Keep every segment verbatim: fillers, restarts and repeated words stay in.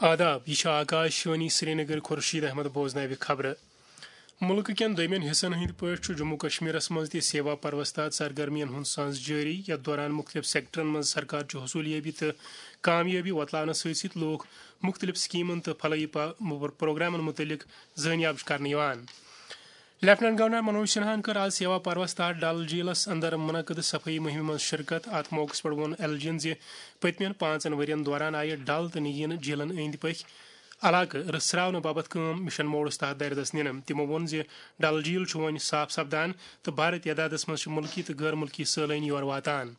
آداب، یہِ چھِ آکاش وانی سرینگر۔ خورشید احمد بوزناوِ خبرٕ۔ مُلکہٕ کٮ۪ن دوٚیمٮ۪ن حصن ہٕنٛدۍ پٲٹھۍ چھُ جموں کشمیرس منٛز تہِ سیوا پروس تحت سرگرمین ہُنٛد سانز جٲری، یتھ دوران مُختٔلِف سیکٹرن منٛز سرکار چہِ حصوٗلیٲبی تہٕ کامیٲبی وۄتلاونس سۭتۍ سۭتۍ لوٗکھ مُختٔلِف سکیمن تہٕ فلٲحی پا-، پروگرامن مُتعلق زٲنیاب چھِ کرنہٕ یِوان۔ لیفٹیننٹ گورنر منوج سنہاہن کٔر آز سیوا پروس تحت ڈل جھیلس اندر منعقد صفٲیی مُہِمہِ منٛز شرکت۔ اتھ موقعس پٮ۪ٹھ ووٚن ایل جی ین زِ پٔتمٮ۪ن پانٛژن ؤرین دوران آیہِ ڈل تہٕ نگین جھیلن أنٛدۍ پٔکۍ علاقہٕ رٕژھراونہٕ باپتھ کٲم مشن موڈس تحت دردس نِنہٕ۔ تِمو ووٚن زِ ڈل جھیل چھُ وۄنۍ صاف سپدان تہٕ بھارٕ تعدادس منٛز چھِ مُلکی تہٕ غٲر مُلکی سٲلٲنۍ یور واتان۔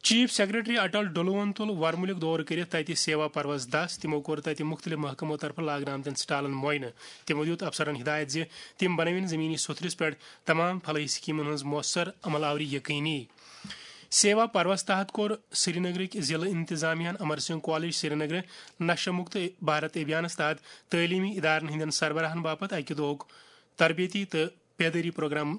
چیف سیکرٹری اٹل ڈلوہن تُل ورمُلُک دورٕ کٔرِتھ تتہِ سیوا پروس دس۔ تِمو کوٚر تتہِ مُختٔلِف محکمو طرفہٕ لاگنہٕ آمتٮ۪ن سٹالن معائنہٕ۔ تِمو دیُت افسرن ہدایت زِ تِم بنٲوِن زمینی سوٚتھرِس پٮ۪ٹھ تمام فلٲحی سکیمن ہٕنٛز مؤثر عمل آوری یقینی۔ سیوا پروس تحت کوٚر سرینگرٕکۍ ضلعہٕ انتظامیہ ہن امر سنگھ کالج سرینگرٕ نشہ مکت بھارت ابھیانس تحت تعلیمی ادارن ہٕنٛدٮ۪ن سربراہن باپتھ اکہِ دۄہُک تربیتی تہٕ بیدٲری پروگرام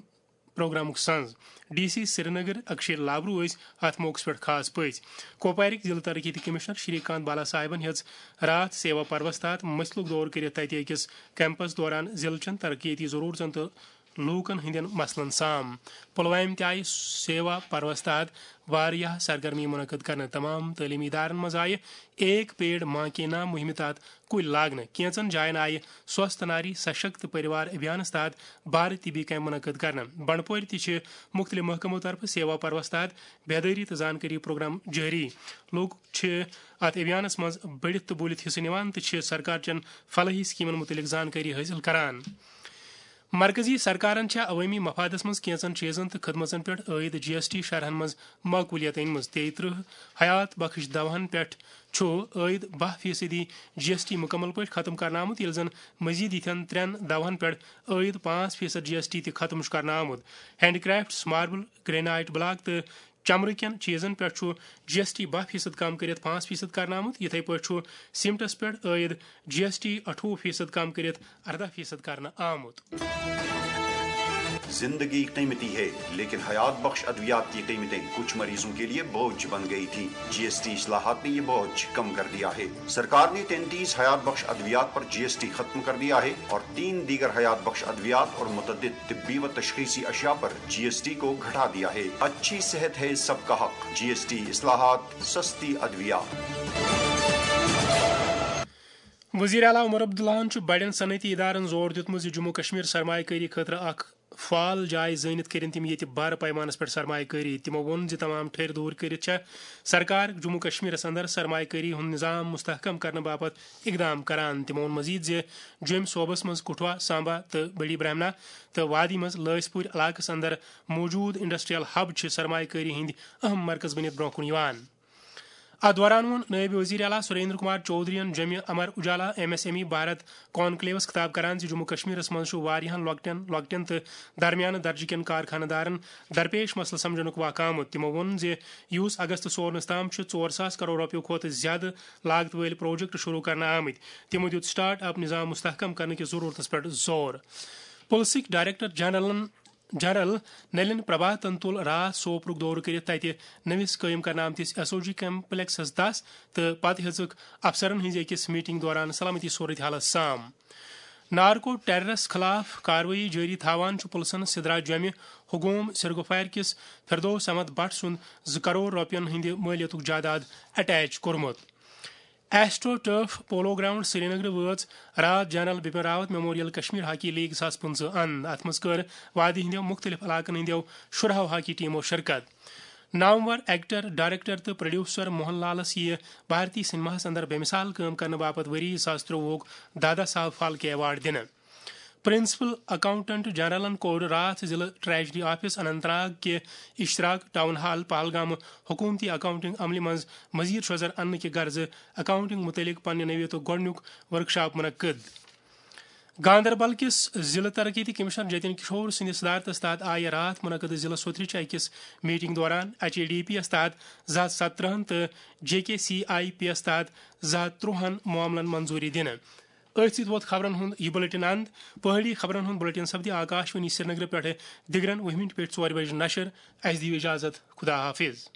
پروگرامُک سنز۔ ڈی سی سرینگر اکشے لابرو ٲسۍ اتھ موقعس پٮ۪ٹھ خاص پٔژھۍ۔ کوپوارٕکۍ ضلعہٕ ترقیتی کمشنر شری کانت بالا صاحبن ہیٚژ راتھ سیوا پروس تحت مٔسلُک دورٕ کٔرِتھ تتہِ أکِس کیمپس دوران ضلعہٕ چٮ۪ن ترقیتی ضرورژن تہٕ لوٗکن ہٕنٛدٮ۪ن مسلن سام۔ پلوامہِ تہِ آیہِ سیوا پروس تحت واریاہ سرگرمی منعقد کرنہٕ۔ تمام تعلیمی ادارن منٛز آیہِ ایک پیڑ ماں کے نام مُہِمہِ تحت کُلۍ لاگنہٕ۔ کینٛژن جاین آیہِ سوستھ ناری سشکت پریوار ابھیانس تحت بھارت طبی کیمپ منعقد کرنہٕ۔ بنڈپورِ تہِ چھِ مُختٔلِف محکمو طرفہٕ سیوا پروس تحت بیدٲری تہٕ زانکٲری پروگرام جٲری۔ لوٗکھ چھِ اتھ ابھیانس منٛز بٔڑِتھ تہٕ بوٗلِتھ حصہٕ نِوان تہٕ چھِ سرکار چٮ۪ن فلٲحی سکیمن مُتعلق زانکٲری حٲصِل کران۔ مرکزی سرکارن چھےٚ عوٲمی مفادس منٛز کینٛژن چیزن تہٕ خدمژن پٮ۪ٹھ عٲید جی ایس ٹی شرحن منٛز معقولیت أنمٕژ۔ تیٚیہِ ترٕٛہ حیات بخش دواہن پٮ۪ٹھ چھُ عٲید باہ فیصدی جی ایس ٹی مُکمل پٲٹھۍ ختم کرنہٕ آمُت، ییٚلہِ زن مزید یِتھٮ۪ن ترٛٮ۪ن دواہن پٮ۪ٹھ عٲید پانٛژھ فیصد جی ایس ٹی تہِ ختم چھُ کرنہٕ آمُت۔ Hand crafts, marble, granite block تہٕ چمرٕ کٮ۪ن چیزن پٮ۪ٹھ چھُ جی ایس ٹی باہ فیصد کم کٔرِتھ پانٛژھ فیصد کرنہٕ آمُت۔ یِتھے پٲٹھۍ چھُ سیمٹس پٮ۪ٹھ عٲید جی ایس ٹی اَٹھووُہ فیصد کم کٔرِتھ ارداہ فیصد کرنہٕ آمُت۔ زندگی قیمتی ہے، لیکن حیات بخش ادویات کی قیمتیں کچھ مریضوں کے لیے بوجھ بن گئی تھی۔ جی ایس ٹی اصلاحات نے یہ بوجھ کم کر دیا ہے۔ سرکار نے تینتیس حیات بخش ادویات پر جی ایس ٹی ختم کر دیا ہے اور تین دیگر حیات بخش ادویات اور متعدد طبی و تشخیصی اشیاء پر جی ایس ٹی کو گھٹا دیا ہے۔ اچھی صحت ہے سب کا حق، جی ایس ٹی اصلاحات، سستی ادویات۔ وزیر اعلیٰ عمر عبداللہن چھُ بڑٮ۪ن صنعتی ادارن زور دیُتمُت زِ جموں کشمیر سرمایہ کٲری خٲطرٕ اکھ فعال جاے زٲنِتھ کٔرِن تِم ییٚتہِ بارٕ پیمانس پٮ۪ٹھ سرمایہ کٲری۔ تِمو ووٚن زِ تمام ٹھٔرۍ دوٗر کٔرِتھ چھےٚ سرکار جموں کشمیرس اندر سرمایہ کٲری ہُنٛد نظام مستحکم کرنہٕ باپتھ اقدام کران۔ تِمو ووٚن مزید زِ جوٚمۍ صوبس منٛز کٹھوا، سامبا تہٕ بڑی برہمنا تہٕ وادی منٛز لٲسۍ پوٗرۍ علاقس اندر موجود انڈسٹریل ہب چھِ سرمایہ کٲری ہٕنٛدۍ اہم مرکز بٔنِتھ برونٛہہ کُن یِوان۔ اتھ دوران ووٚن نٲیِب وزیر اعلیٰ سریندر کمار چودھرین جوٚمہِ Amar Ujala M S M E Bharat کانکلیوس خطاب کران زِ جموں کشمیرس منٛز چھُ واریاہن لۄکٹٮ۪ن، لۄکٹٮ۪ن تہٕ درمیانہٕ درجہٕ کٮ۪ن کارخانہٕ دارن درپیش مسلہٕ سمجھنُک واقعہٕ آمُت۔ تِمو ووٚن زِ یوٗس اگستہٕ سورنس تام چھِ ژور ساس کرور رۄپیو کھۄتہٕ زیادٕ لاگتہٕ وٲلۍ پروجیکٹ شروع کرنہٕ آمٕتۍ۔ تِمو دیُت سٹارٹ اپ نظام مستحکم کرنہٕ کِس ضرورتس پٮ۪ٹھ زور۔ پُلسٕکۍ ڈائریکٹر جنرلن جنرل نلین پربھاتن تُل راتھ سوپرُک دورٕ کٔرِتھ تتہِ نٔوِس قٲیِم کرنہٕ آمتِس ایس او جی کمپلیکسس دس تہٕ پتہٕ ہیٚژٕکھ افسرن ہٕنٛزِ أکِس میٹنگ دوران سلامتی صورتحالس سام۔ نارکو ٹیررس خلاف کاروٲیی جٲری تھاوان چھُ پُلسن سدرا جوٚمہِ ہگوم سرگوفارِ کِس فردوس احمد بٹ سُنٛد زٕ کرور رۄپین ہٕنٛدِ مٲلیتُک جائیداد اٹیچ کوٚرمُت۔ ایسٹرو ٹرف پولو گراؤنڈ سرینگرٕ وٲژ راتھ general Bipin Rawat memorial Kashmir hockey league زٕ ساس پٕنٛژٕہ اند۔ اتھ منٛز کٔر وادی ہٕنٛدیو مُختٔلِف علاقن ہٕنٛدیو شُراہو ہاکی ٹیمو شرکت۔ نامور ایکٹر، ڈائریکٹر تہٕ پروڈیوسر موہن لالس یِیہِ بھارتی سینماہس اندر بے مثال کٲم کرنہٕ باپتھ ؤری زٕ ساس ترٛۆوُہُک دادا صاحب پھالکے ایوارڈ دِنہٕ۔ پرنسپل اکاؤنٹنٹ جنرلن کوٚر راتھ ضلع ٹریجری آفس اننت ناگ کہِ اشتراک ٹاؤن ہال پہلگامہٕ حکومتی اکاؤنٹنگ عملہِ منٛز مزید شوزر اننہٕ کہِ غرضہٕ اکاؤنٹنگ متعلق پننہِ نوعیتُک گۄڈٕنیُک ورکشاپ منعقد۔ گاندربل کِس ضلع ترقیتی کمشنر جتن کشور سٕنٛدِ صدارتس تحت آیہِ راتھ منعقد ضلع سوترٕچ أکِس میٹنگ دوران H A D P S تحت زٕ ہتھ ستترہن تہٕ J K C I P S تحت زٕ ہتھ ترٛۆہن معاملن منظوری دِنہٕ۔ أتھۍ سۭتۍ ووت خبرن ہُنٛد یہِ بلیٹن اند۔ پہٲڑی خبرن ہُنٛد بلیٹن سپدِ آکاش وانی سرینگرٕ پٮ۪ٹھٕ دِگرن وُہہِ مِنٹہِ پٮ۪ٹھ ژورِ بجہِ نشر۔ اسہِ دِیِو اجازت، خدا حافظ۔